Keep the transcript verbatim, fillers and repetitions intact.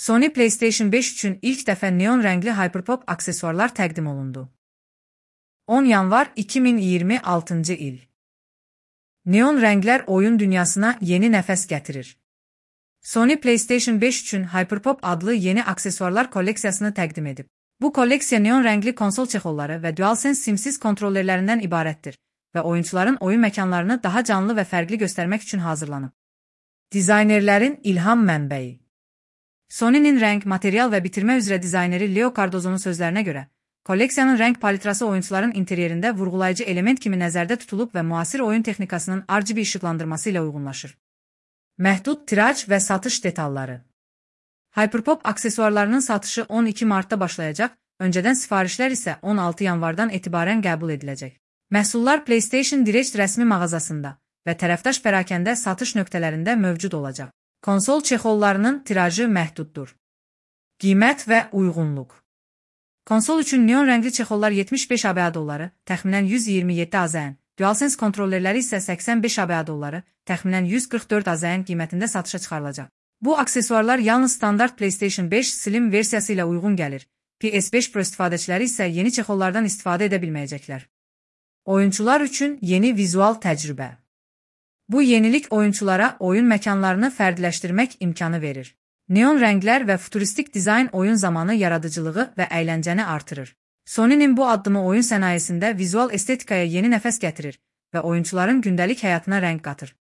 Sony PlayStation beş üçün ilk dəfə neon rəngli Hyperpop aksesuarlar təqdim olundu. on yanvar iki min iyirmi altıncı il. Neon rənglər oyun dünyasına yeni nəfəs gətirir. Sony PlayStation beş üçün Hyperpop adlı yeni aksesuarlar kolleksiyasını təqdim edib. Bu kolleksiya neon rəngli konsol çexolları və DualSense simsiz kontrollerlərindən ibarətdir və oyuncuların oyun məkanlarını daha canlı və fərqli göstərmək üçün hazırlanıb. Dizaynerlərin ilham mənbəyi. Sony'nin rəng, material və bitirmə üzrə dizayneri Leo Cardozzo'nun sözlərinə görə, kolleksiyanın rəng palitrası oyuncuların interyerində vurğulayıcı element kimi nəzərdə tutulub və müasir oyun texnikasının R G B işıqlandırması ilə uyğunlaşır. Məhdud tiraj və satış detalları. Hyperpop aksesuarlarının satışı on iki martda başlayacaq, öncədən sifarişlər isə on altı yanvardan etibarən qəbul ediləcək. Məhsullar PlayStation Direct rəsmi mağazasında və tərəfdaş pərakəndə satış nöqtələrində mövcud olacaq. Konsol çexollarının tirajı məhduddur. Qiymət və uyğunluq. Konsol üçün neon rəngli çexollar yetmiş beş ABA dolları, təxminən yüz iyirmi yeddi AZN, DualSense kontrollerləri isə səksən beş ABA dolları, təxminən yüz qırx dörd AZN qiymətində satışa çıxarılacaq. Bu aksesuarlar yalnız standart PlayStation beş Slim versiyası ilə uyğun gəlir. P S beş Pro istifadəçiləri isə yeni çexollardan istifadə edə bilməyəcəklər. Oyuncular üçün yeni vizual təcrübə. Bu yenilik oyunculara oyun məkanlarını fərdiləşdirmək imkanı verir. Neon rənglər və futuristik dizayn oyun zamanı yaradıcılığı və əyləncəni artırır. Sony'nin bu addımı oyun sənayesində vizual estetikaya yeni nəfəs gətirir və oyuncuların gündəlik həyatına rəng qatır.